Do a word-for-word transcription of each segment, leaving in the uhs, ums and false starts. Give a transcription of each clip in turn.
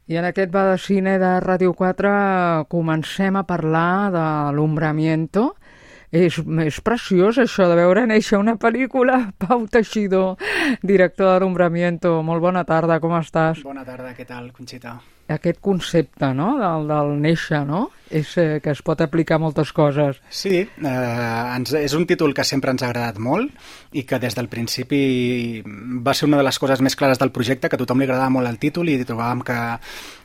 I en aquest Va de Cine de Ràdio quatre comencem a parlar de l'Ombramiento. És, és preciós això de veure néixer una pel·lícula. Pau Teixidor, director de l'Ombramiento. Molt bona tarda, com estàs? Bona tarda, què tal, Conxita? Aquest concepte, no?, del, del néixer, no?, és eh, que es pot aplicar a moltes coses. Sí, eh, ens, és un títol que sempre ens ha agradat molt i que des del principi va ser una de les coses més clares del projecte, que a tothom li agradava molt el títol i trobàvem que,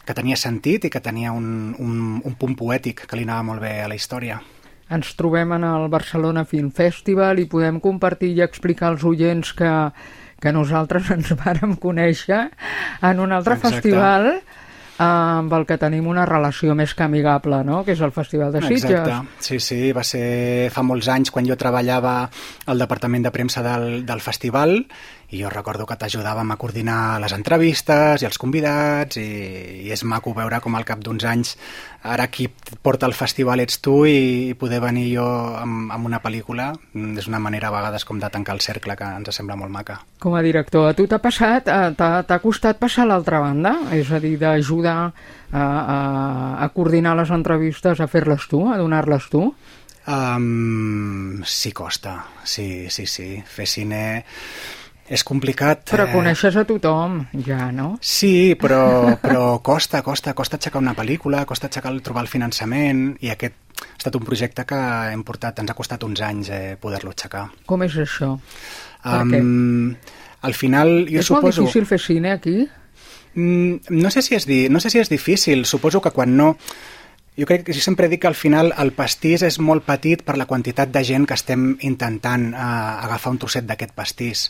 que tenia sentit i que tenia un, un, un punt poètic que li anava molt bé a la història. Ens trobem en el Barcelona Film Festival i podem compartir i explicar als oients que, que nosaltres ens vàrem conèixer en un altre Exacte. festival amb el que tenim una relació més que amigable, no?, que és el Festival de Sitges. Exacte, sí, sí, va ser fa molts anys quan jo treballava al departament de premsa del, del festival i jo recordo que t'ajudàvem a coordinar les entrevistes i els convidats i, i és maco veure com al cap d'uns anys ara qui porta el festival ets tu i, i poder venir jo amb, amb una pel·lícula és una manera a vegades com de tancar el cercle que ens sembla molt maca. Com a director, a tu t'ha passat, t'ha costat passar a l'altra banda? És a dir, d'ajudar a, a, a coordinar les entrevistes, a fer-les tu, a donar-les tu? Um, sí, costa, sí, sí, sí. Fer cine és complicat. Però coneixes a tothom, ja, no? Sí, però, però costa, costa, costa aixecar una pel·lícula, costa aixecar, trobar el finançament, i aquest ha estat un projecte que hem portat, ens ha costat uns anys eh, poder-lo aixecar. Com és això? Per um, què? Al final, jo és suposo... És molt difícil fer cine aquí? Mm, no sé si és di... no sé si és difícil, suposo que quan no... Jo crec que jo sempre dic que al final el pastís és molt petit per la quantitat de gent que estem intentant eh, agafar un trosset d'aquest pastís.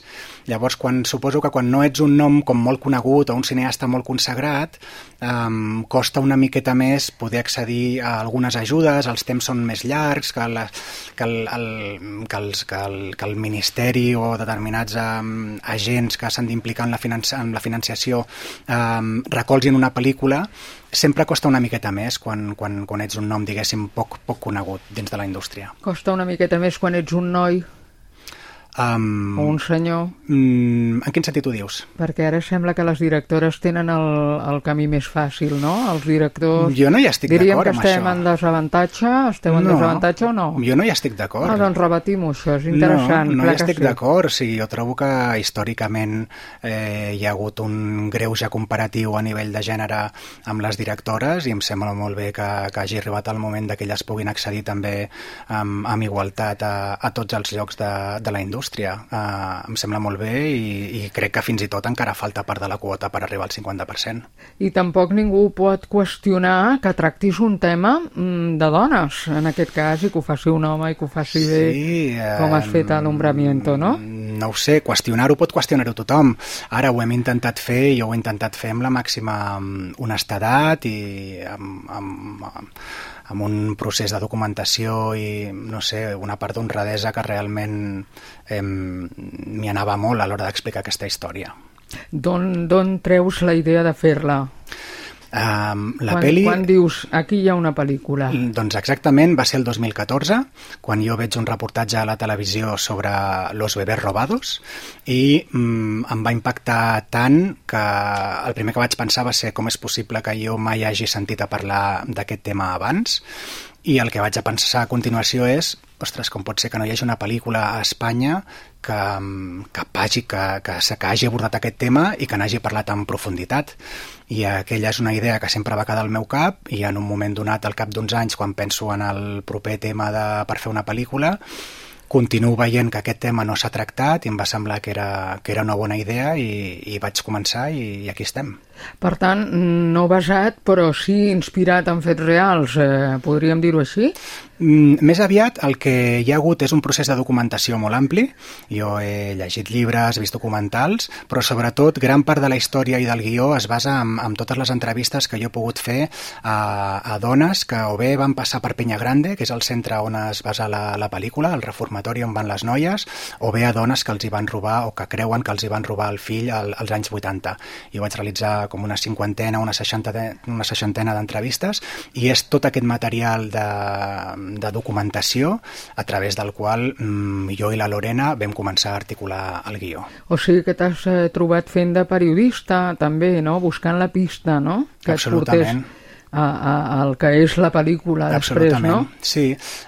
Llavors, quan, suposo que quan no ets un nom com molt conegut o un cineasta molt consagrat, eh, costa una miqueta més poder accedir a algunes ajudes, els temps són més llargs, que, la, que, el, el, que, els, que, el, que el Ministeri o determinats eh, agents que s'han d'implicar en, la financi en la financiació eh, recolzin una pel·lícula. Sempre costa una miqueta més quan, quan, quan ets un nom, diguéssim, poc, poc conegut dins de la indústria. Costa una miqueta més quan ets un noi um, o un senyor? Um, en quin sentit ho dius? Perquè ara sembla que les directores tenen el, el camí més fàcil, no? Els directors... Jo no hi estic d'acord amb això. Diríem que estem en desavantatge? Esteu en no, desavantatge o no? Jo no hi estic d'acord. Ah, doncs rebatim-ho, això és interessant. No, no hi estic sí. d'acord. Sí, jo trobo que històricament eh, hi ha hagut un greuge comparatiu a nivell de gènere amb les directores i em sembla molt bé que, que hagi arribat el moment que elles puguin accedir també amb, amb igualtat a, a tots els llocs de, de la indústria. Uh, em sembla molt bé i, i crec que fins i tot encara falta part de la quota per arribar al cinquanta per cent. I tampoc ningú pot qüestionar que tractis un tema mm, de dones, en aquest cas, i que ho faci un home i que ho faci bé, sí, eh, com has fet a l'Ombramiento, no? No ho sé, qüestionar-ho pot qüestionar-ho tothom. Ara ho hem intentat fer i jo ho he intentat fer amb la màxima honestedat i amb, amb, amb, amb un procés de documentació i, no sé, una part d'honradesa que realment eh, m'hi anava molt a l'hora d'explicar aquesta història. D'on treus la idea de fer-la? Um, la quan, peli... quan dius, aquí hi ha una pel·lícula? Doncs exactament, va ser el dos mil catorze, quan jo veig un reportatge a la televisió sobre los bebés robados i mm, em va impactar tant que el primer que vaig pensar va ser com és possible que jo mai hagi sentit a parlar d'aquest tema abans, i el que vaig a pensar a continuació és, ostres, com pot ser que no hi hagi una pel·lícula a Espanya que, que, hagi, que, que, que hagi abordat aquest tema i que n'hagi parlat en profunditat. I aquella és una idea que sempre va quedar al meu cap i en un moment donat, al cap d'uns anys, quan penso en el proper tema de, per fer una pel·lícula, continuo veient que aquest tema no s'ha tractat i em va semblar que era, que era una bona idea i, i vaig començar i, i aquí estem. Per tant, no basat, però sí inspirat en fets reals, eh, podríem dir-ho així? Mm, més aviat el que hi ha hagut és un procés de documentació molt ampli. Jo he llegit llibres, he vist documentals, però sobretot gran part de la història i del guió es basa en, en totes les entrevistes que jo he pogut fer a, a dones que o bé van passar per Peñagrande, que és el centre on es basa la, la pel·lícula, el reformatori on van les noies, o bé a dones que els hi van robar o que creuen que els hi van robar el fill al, als anys vuitanta. Jo vaig realitzar com una cinquantena, una seixantena, una seixantena d'entrevistes, i és tot aquest material de, de documentació a través del qual mm, jo i la Lorena vam començar a articular el guió. O sigui que t'has eh, trobat fent de periodista també, no? Buscant la pista, no? Que absolutament. A, a, al que és la pel·lícula després, no? Sí.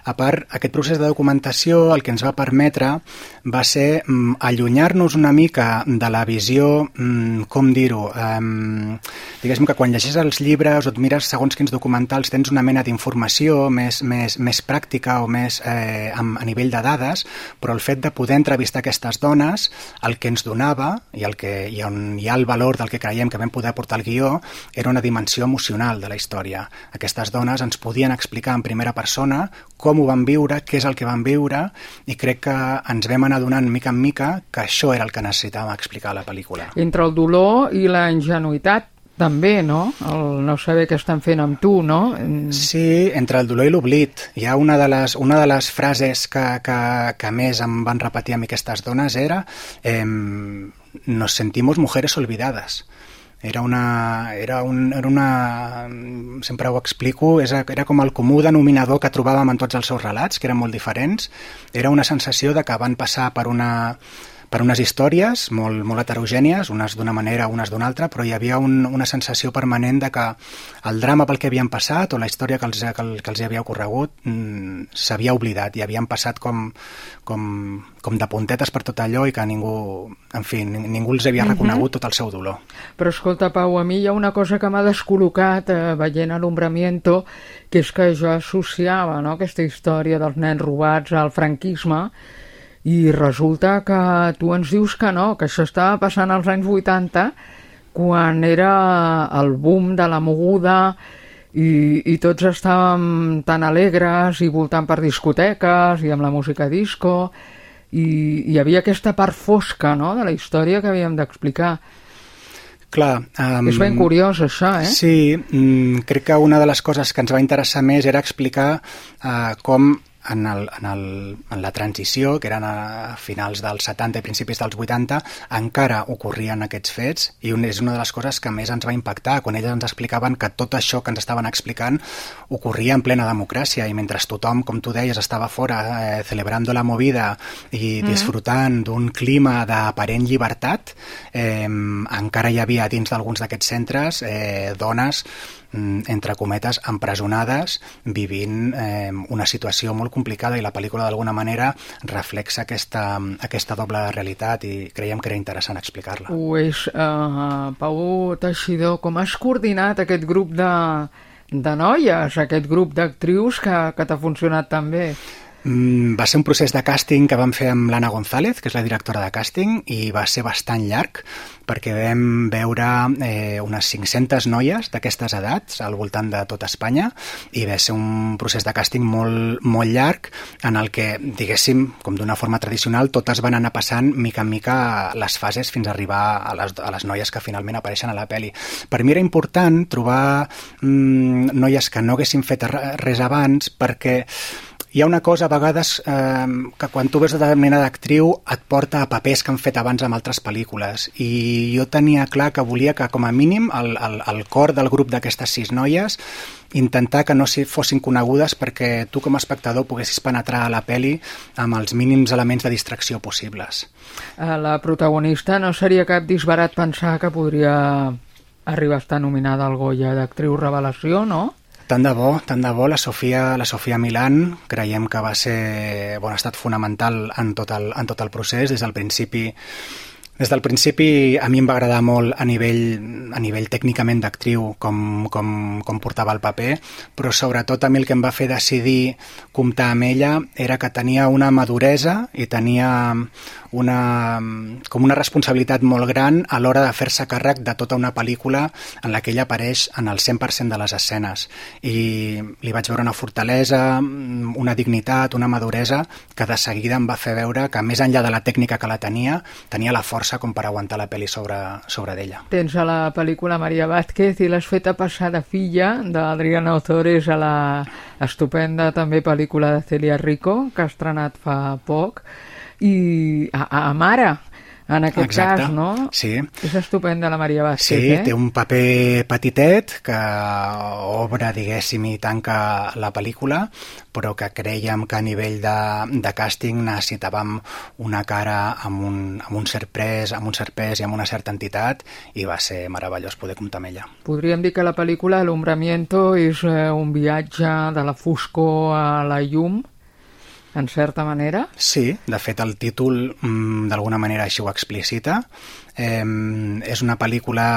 A part, aquest procés de documentació el que ens va permetre va ser mm, allunyar-nos una mica de la visió, mm, com dir-ho, um, diguéssim que quan llegeix els llibres o et mires segons quins documentals tens una mena d'informació més, més, més pràctica o més eh, a, a nivell de dades, però el fet de poder entrevistar aquestes dones, el que ens donava i, el que, i on hi ha el valor del que creiem que vam poder portar al guió era una dimensió emocional de la història. Aquestes dones ens podien explicar en primera persona com ho van viure, què és el que van viure, i crec que ens vam anar donant mica en mica que això era el que necessitàvem explicar a la pel·lícula. Entre el dolor i la ingenuïtat també, no? El no saber què estan fent amb tu, no? Sí, entre el dolor i l'oblit. Hi ha una de les, una de les frases que, que, que més em van repetir a mi aquestes dones era eh, nos sentimos mujeres olvidadas. Era una, era, un, era una... sempre ho explico, era com el comú denominador que trobàvem en tots els seus relats, que eren molt diferents. Era una sensació de que van passar per una... per unes històries molt, molt heterogènies, unes d'una manera, unes d'una altra, però hi havia un, una sensació permanent de que el drama pel que havien passat o la història que els, que, que els havia ocorregut mm, s'havia oblidat i havien passat com, com, com de puntetes per tot allò i que ningú, en fi, ningú els havia reconegut tot el seu dolor. Però escolta, Pau, a mi hi ha una cosa que m'ha descol·locat eh, veient l'Ombramiento, que és que jo associava, no?, aquesta història dels nens robats al franquisme, i resulta que tu ens dius que no, que això estava passant als anys vuitanta, quan era el boom de la moguda i, i tots estàvem tan alegres i voltant per discoteques i amb la música disco, i hi havia aquesta part fosca, no?, de la història que havíem d'explicar. Clar, um, és ben curiós això, eh? Sí, mm, crec que una de les coses que ens va interessar més era explicar uh, com en, el, en, el, en la transició, que eren a finals dels setanta i principis dels vuitanta, encara ocorrien aquests fets, i un, és una de les coses que més ens va impactar, quan elles ens explicaven que tot això que ens estaven explicant ocorria en plena democràcia, i mentre tothom, com tu deies, estava fora eh, celebrando la movida i mm-hmm. disfrutant d'un clima d'aparent llibertat, eh, encara hi havia dins d'alguns d'aquests centres eh, dones, entre cometes, empresonades, vivint eh, una situació molt complicada, i la pel·lícula d'alguna manera reflexa aquesta, aquesta doble realitat, i creiem que era interessant explicar-la. Ho és, uh, Pau Teixidor, com has coordinat aquest grup de, de noies, aquest grup d'actrius que, que t'ha funcionat tan bé? Mm, va ser un procés de càsting que vam fer amb l'Anna González, que és la directora de càsting, i va ser bastant llarg, perquè vam veure eh, unes cinc-centes noies d'aquestes edats al voltant de tota Espanya, i va ser un procés de càsting molt, molt llarg, en el que, diguéssim, com d'una forma tradicional, totes van anar passant mica en mica les fases fins a arribar a les, a les noies que finalment apareixen a la pel·li. Per mi era important trobar mm, noies que no haguessin fet res abans, perquè hi ha una cosa a vegades eh, que quan tu veus determinada actriu et porta a papers que han fet abans amb altres pel·lícules, i jo tenia clar que volia que com a mínim el, el, el cor del grup d'aquestes sis noies intentar que no si fossin conegudes, perquè tu com a espectador poguessis penetrar a la pel·li amb els mínims elements de distracció possibles. La protagonista no seria cap disbarat pensar que podria arribar a estar nominada al Goya d'actriu revelació, no? Tant de bo, tant de bo. La Sofia, la Sofia Milán creiem que va ser, bon, ha estat fonamental en tot el, en tot el procés. Des del principi, des del principi a mi em va agradar molt a nivell, a nivell tècnicament d'actriu com, com, com portava el paper, però sobretot a mi el que em va fer decidir comptar amb ella era que tenia una maduresa i tenia una, com una responsabilitat molt gran a l'hora de fer-se càrrec de tota una pel·lícula en la que ella apareix en el cent per cent de les escenes, i li vaig veure una fortalesa, una dignitat, una maduresa que de seguida em va fer veure que més enllà de la tècnica que la tenia, tenia la força com per aguantar la pel·li sobre, sobre d'ella. Tens a la pel·lícula Maria Vázquez i l'has fet a passar de filla d'Adriana Ozores a la estupenda també pel·lícula de Celia Rico, que ha estrenat fa poc, i a, a mare, en aquest Exacte. cas, no? Sí. És estupenda la Maria Vázquez, sí, eh? Sí, té un paper petitet que obre, diguéssim, i tanca la pel·lícula, però que creiem que a nivell de, de càsting necessitàvem una cara amb un, amb un cert pes, amb un cert pes i amb una certa entitat, i va ser meravellós poder comptar amb ella. Podríem dir que la pel·lícula Alumbramiento és eh, un viatge de la foscor a la llum, en certa manera? Sí, de fet el títol mmm, d'alguna manera així ho explicita. Eh, és una pel·lícula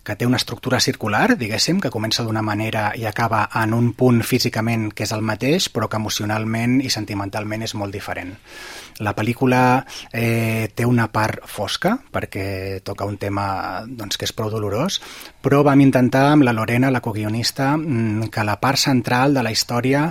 que té una estructura circular, diguéssim, que comença d'una manera i acaba en un punt físicament que és el mateix, però que emocionalment i sentimentalment és molt diferent. La pel·lícula eh, té una part fosca, perquè toca un tema doncs, que és prou dolorós, però vam intentar amb la Lorena, la coguionista, que la part central de la història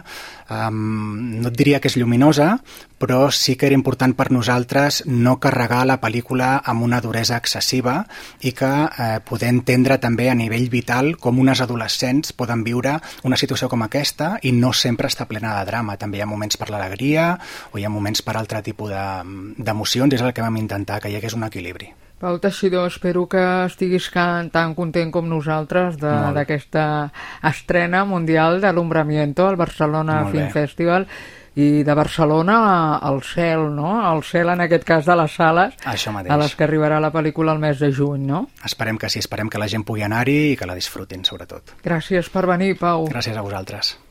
um, no et diria que és lluminosa, però sí que era important per nosaltres no carregar la pel·lícula amb una duresa excessiva i que eh, poder entendre també a nivell vital com unes adolescents poden viure una situació com aquesta i no sempre està plena de drama. També hi ha moments per l'alegria o hi ha moments per altre tipus d'emocions, és el que vam intentar, que hi hagués un equilibri. Pau Teixidor, espero que estiguis tan content com nosaltres d'aquesta estrena mundial d'Alumbramiento al Barcelona Film Festival i de Barcelona al cel, no? Al cel, en aquest cas, de les sales a les que arribarà la pel·lícula el mes de juny, no? Esperem que sí, esperem que la gent pugui anar-hi i que la disfrutin, sobretot. Gràcies per venir, Pau. Gràcies a vosaltres.